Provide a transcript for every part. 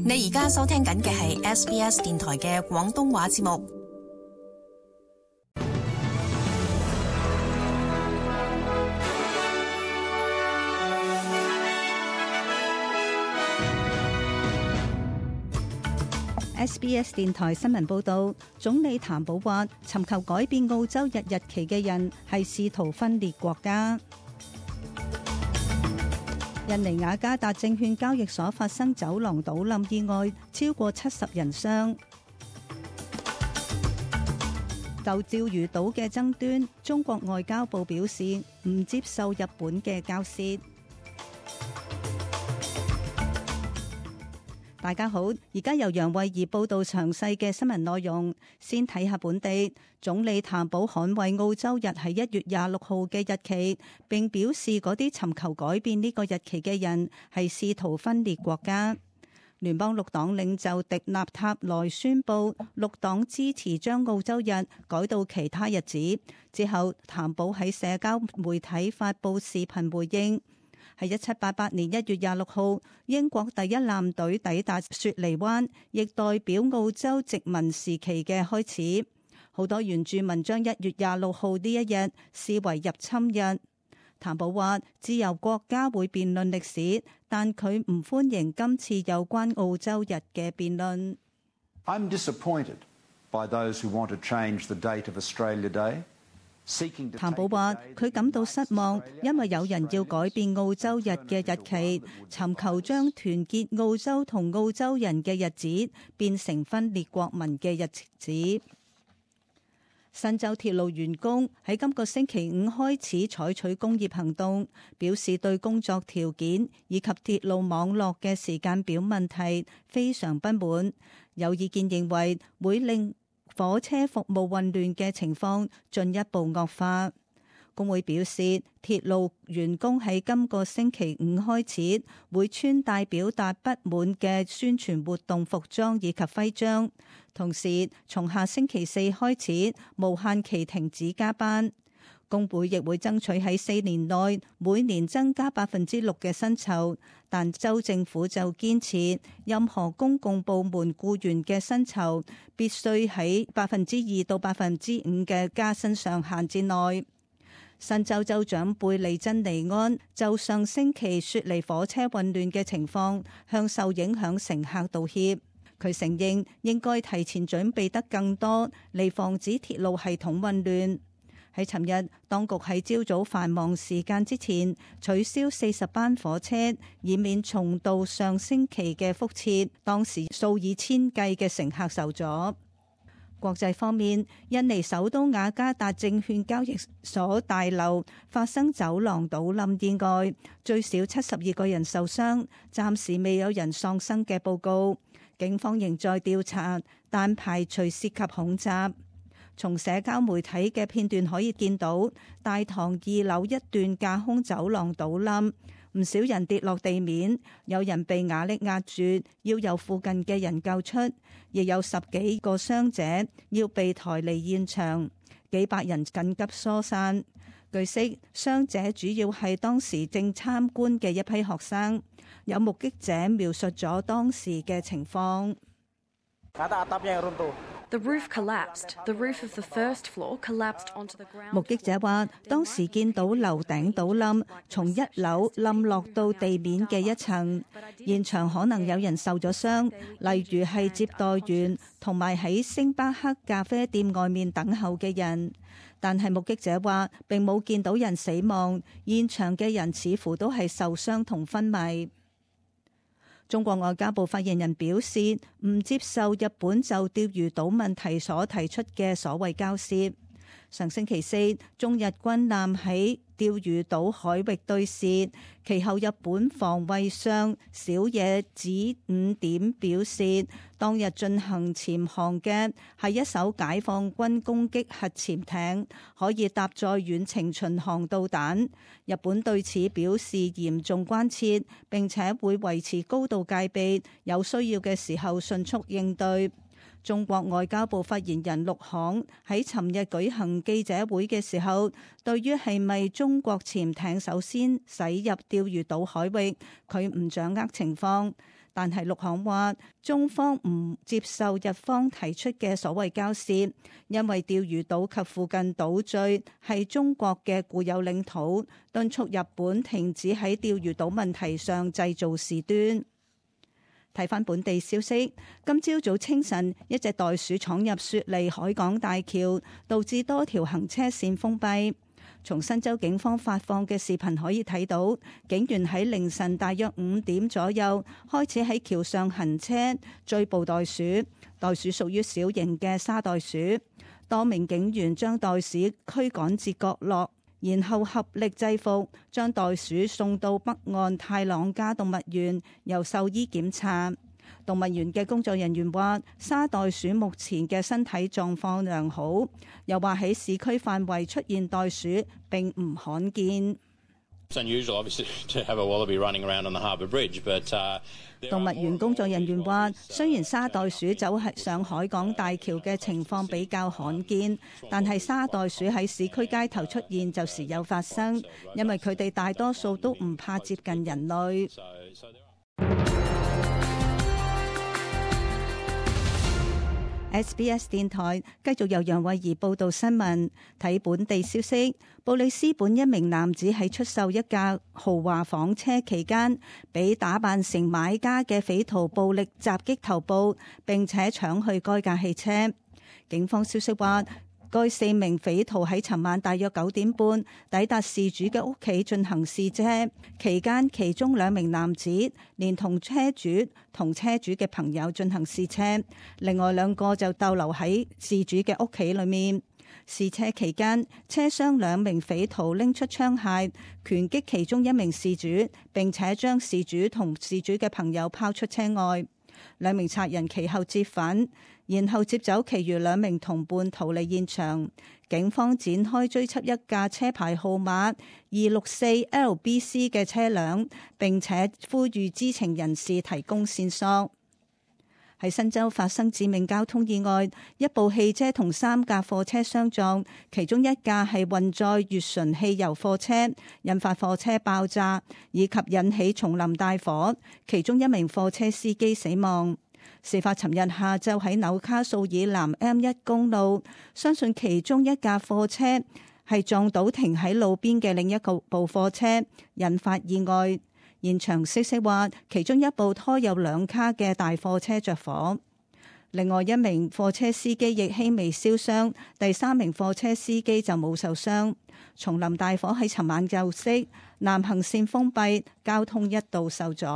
你而家收聽緊嘅係 SBS 電台嘅廣東話節目。SBS 電台新聞報道，總理譚寶話，尋求改變澳洲日期嘅人係試圖分裂國家。印尼雅加達證券交易所發生走廊倒冧意外，超過70人傷。就釣魚島嘅爭端，中國外交部表示唔接受日本嘅交涉。大家好，而家由楊慧儀報道詳細嘅新聞內容。先睇下本地，總理譚寶捍衛澳洲日係1月26號嘅日期，並表示嗰啲尋求改變呢個日期嘅人係試圖分裂國家。聯邦綠黨領袖迪納塔萊宣布，綠黨支持將澳洲日改到其他日子。之後，譚寶喺社交媒體發布視頻回應。喺1788年1月26號，英國第一艦隊抵達雪梨灣，亦代表澳洲殖民時期嘅開始。好多原住民將1月26號呢一日視為入侵日。譚寶話：自由國家會辯論歷史，但佢唔歡迎今次有關澳洲日嘅辯論。I'm disappointed by those who want to change the date of Australia Day.譚寶話：佢感到失望，因為有人要改變澳洲日嘅日期，尋求將團結澳洲同澳洲人嘅日子變成分裂國民嘅日子。新州鐵路員工喺今個星期五開始採取工業行動，表示對工作條件以及鐵路網絡嘅時間表問題非常不滿。有意見認為會令火車服務混亂嘅情況進一步惡化。工會表示，鐵路員工喺今個星期五開始會穿戴表達不滿嘅宣傳活動服裝以及徽章，同時從下星期四開始無限期停止加班。工會亦會爭取喺4年內每年增加6%嘅薪酬，但州政府就堅持任何公共部門僱員嘅薪酬必須喺2%到5%嘅加薪上限之內。新州州長貝利珍尼安就上星期雪梨火車混亂嘅情況向受影響乘客道歉。佢承認應該提前準備得更多嚟防止鐵路系統混亂。喺尋日，當局喺朝早繁忙時間之前取消40班火車，以免重蹈上星期嘅覆轍。當時數以千計嘅乘客受阻。國際方面，印尼首都雅加達證券交易所大樓發生走廊倒冧意外，最少72個人受傷，暫時未有人喪生嘅報告。警方仍在調查，但排除涉及恐襲。從社交媒體嘅片段可以見到，大堂2樓一段架空走廊倒冧，唔少人跌落地面，有人被瓦礫壓住，要由附近嘅人救出，亦有10幾個傷者要被抬離現場，幾百人緊急疏散。據悉，傷者主要係當時正參觀嘅一批學生。有目擊者描述咗當時嘅情況。The roof collapsed. The roof of the first floor collapsed onto the ground. 目擊者話，當時見到樓頂倒冧，從1樓冧落到地面嘅一層，現場可能有人受咗傷，例如係接待員同埋喺星巴克咖啡店外面等候嘅人。但係目擊者話，並冇見到人死亡，現場嘅人似乎都係受傷同昏迷。中國外交部發言人表示，唔接受日本就釣魚島問題所提出嘅所謂交涉。上星期4，中日軍艦喺釣魚島海域對峙，其後日本防衛相小野子五點表示，當日進行潛航嘅係一艘解放軍攻擊核潛艇，可以搭載遠程巡航導彈。日本對此表示嚴重關切，並且會維持高度戒備，有需要嘅時候迅速應對。中國外交部發言人陸慷喺尋日舉行記者會嘅時候，對於係咪中國潛艇首先駛入釣魚島海域，佢唔掌握情況，但係陸行話，中方唔接受日方提出嘅所謂交涉，因為釣魚島及附近島嶼係中國嘅固有領土，敦促日本停止喺釣魚島問題上製造事端。睇返本地消息，今朝早清晨，一隻袋鼠闖入雪梨海港大橋，導致多條行車線封閉。從新州警方發放嘅視頻可以睇到，警員喺凌晨大約5點左右開始喺橋上行車追捕袋鼠。袋鼠屬於小型嘅沙袋鼠，多名警員將袋鼠驅趕至角落，然後合力制服，將袋鼠送到北岸泰朗加動物園，由獸醫檢查。動物園嘅工作人員話，沙袋鼠目前嘅身體狀況良好，又話喺市區範圍出現袋鼠並唔罕見。動物園工作人員話，雖然沙袋鼠走上海港大橋嘅情況比較罕見，但係沙袋鼠喺市區街頭出現就時有發生，因為佢哋大多數都唔怕接近人類。SBS 電台繼續由楊慧儀報道新聞。睇本地消息，布里斯本一名男子喺出售一架豪華房車期間，被打扮成買家嘅匪徒暴力襲擊頭部，並且搶去該架汽車。警方消息話，該4名匪徒喺尋晚大約9點半抵達事主嘅屋企進行試車，期間其中2名男子連同車主同車主嘅朋友進行試車，另外2個就逗留喺事主嘅屋企裏面。試車期間，車廂2名匪徒拎出槍械拳擊其中1名事主，並且將事主同事主嘅朋友拋出車外。2名賊人其後折返，然後接走其餘2名同伴逃離現場。警方展開追緝一架車牌號碼264LBC 嘅車輛，並且呼籲知情人士提供線索。喺新州發生致命交通意外，一部汽車同3架貨車相撞，其中一架係運載乙醇汽油貨車，引發貨車爆炸，以及引起叢林大火，其中1名貨車司機死亡。事發尋日下晝喺紐卡素以南 M1 公路，相信其中一架貨車係撞到停喺路邊嘅另一部貨車，引發意外。現場消息話，其中一部拖有2卡嘅大貨車着火，另外1名貨車司機亦輕微燒傷，第3名貨車司機就冇受傷。叢林大火喺尋晚就熄，南行線封閉，交通一度受阻。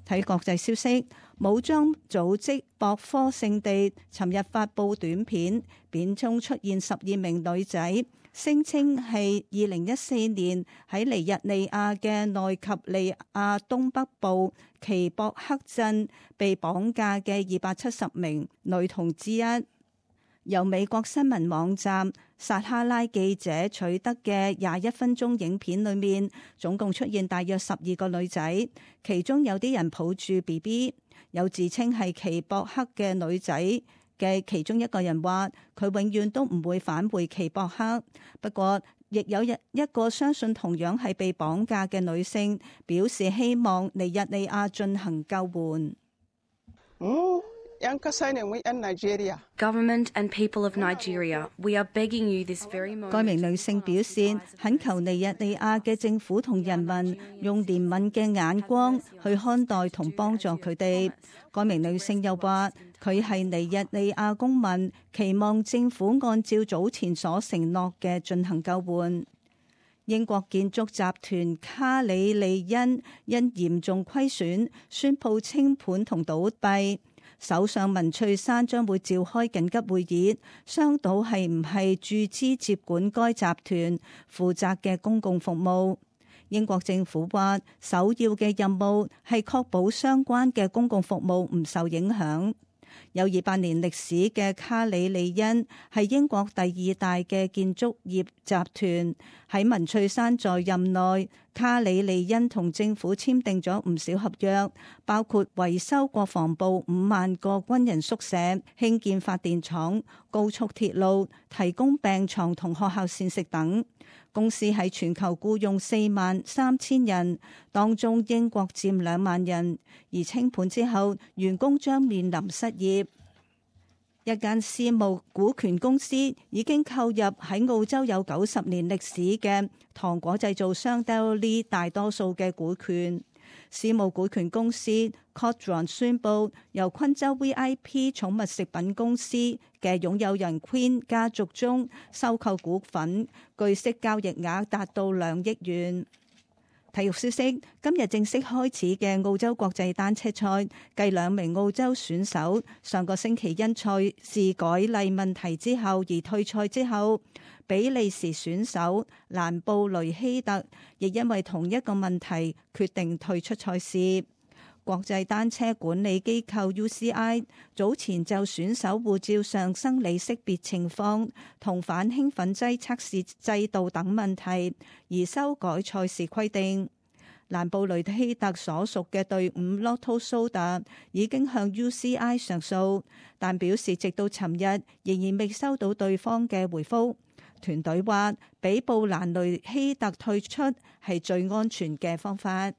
睇國際消息，武裝組織博科聖地尋日發布短片，片中出現12名女仔，聲稱係2014年喺尼日利亞嘅內及利亞東北部奇博克鎮被綁架嘅270名女童之一。由美國新聞網站撒哈拉記者取得嘅21分鐘影片裏面，總共出現大約12個女仔，其中有啲人抱住 BB。有自稱係奇博克嘅女仔嘅其中一個人話，佢永遠都唔會返回奇博克。不過，亦有一個相信同樣係被綁架嘅女性表示希望尼日利亞進行救援。Government and people of Nigeria, we are begging you this very moment. 該名女性表示，懇求尼日利亞嘅政府同人民用憐憫嘅眼光去看待同幫助佢哋。該名女性又話，佢係尼日利亞公民，期望政府按照早前所承諾嘅進行救援。英國建築集團卡里利恩因嚴重虧損，宣布清盤同倒閉。首相文翠珊將會召開緊急會議，商討係唔係注資接管該集團負責嘅公共服務。英國政府話，首要嘅任務係確保相關嘅公共服務唔受影響。有200年歷史嘅卡里利恩係英國第2大嘅建築業集團，喺文翠珊在任內卡里利恩同政府簽訂咗唔少合約，包括維修國防部5萬個軍人宿舍、興建發電廠、高速鐵路、提供病床同學校膳食等。公司喺全球僱用43000人，當中英國佔2萬人，而清盤之後，員工將面臨失業。一間私募股權公司已經購入喺澳洲有90年歷史嘅糖果製造商 Dairy 大多數嘅股權。私募股權公司 Codron 宣布，由昆州 VIP 寵物食品公司嘅擁有人 Queen 家族中收購股份，據悉交易額達到2億元。體育消息，今日正式開始嘅澳洲國際單車賽，繼2名澳洲選手上個星期因賽事改例問題之後而退賽之後，比利時選手蘭布雷希特亦因為同一個問題決定退出賽事。國際單車管理機構 UCI 早前就選手護照上生理識別情況同反興奮劑測試制度等問題而修改賽事規定。蘭布雷希特所屬嘅隊伍 Lotto Soda 已經向 UCI 上訴，但表示直到尋日仍然未收到對方嘅回覆。團隊話，俾布蘭雷希特退出係最安全嘅方法。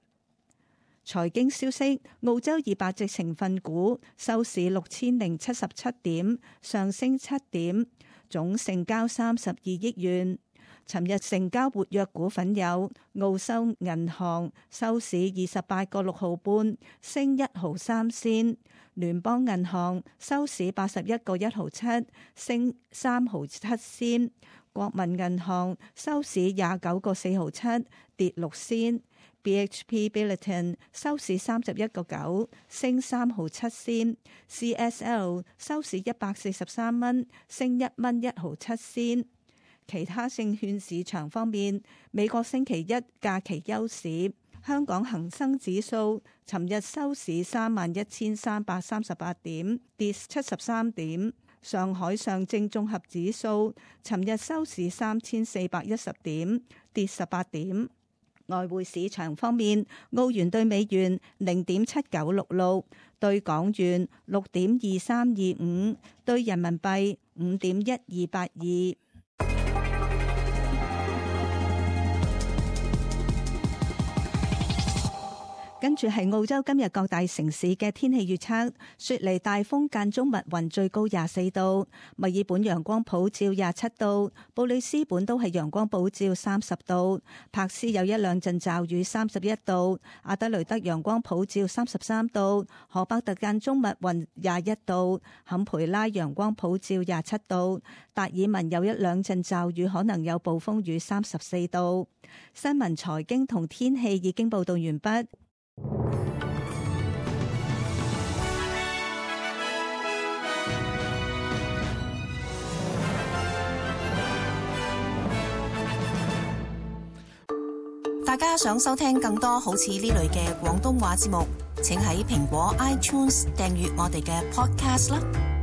財經消息，澳洲200隻成分股收市6077點，上升7點，總成交32億元。尋日成交活躍股份有澳洲銀行，收市28個6毫半，升1毫3仙；聯邦銀行收市81個1毫7，升3毫7仙；國民銀行收市29個4毫7，跌6仙。BHP Billiton 收市31個9，升3毫7仙。CSL 收市143蚊，升1蚊1毫7仙。其他證券市場方面，美國星期一假期休市，香港恒生指數尋日收市31,338點，跌73點。上海上證綜合指數尋日收市3,410點，跌18點。外匯市場方面，澳元對美元0.7966，對港元6.2325，對人民幣5.1282。跟住係澳洲今日各大城市嘅天氣預測：雪梨大風間中密雲，最高24度；墨爾本陽光普照27度；布里斯本都係陽光普照30度；柏斯有1兩陣驟雨31度；阿德雷德陽光普照33度；荷伯特間中密雲21度；坎培拉陽光普照27度；達爾文有1兩陣驟雨，可能有暴風雨34度。新聞、財經同天氣已經報道完畢。大家想收聽更多好似呢類嘅廣東話節目，請喺蘋果 iTunes 訂閱我哋嘅 Podcast 啦。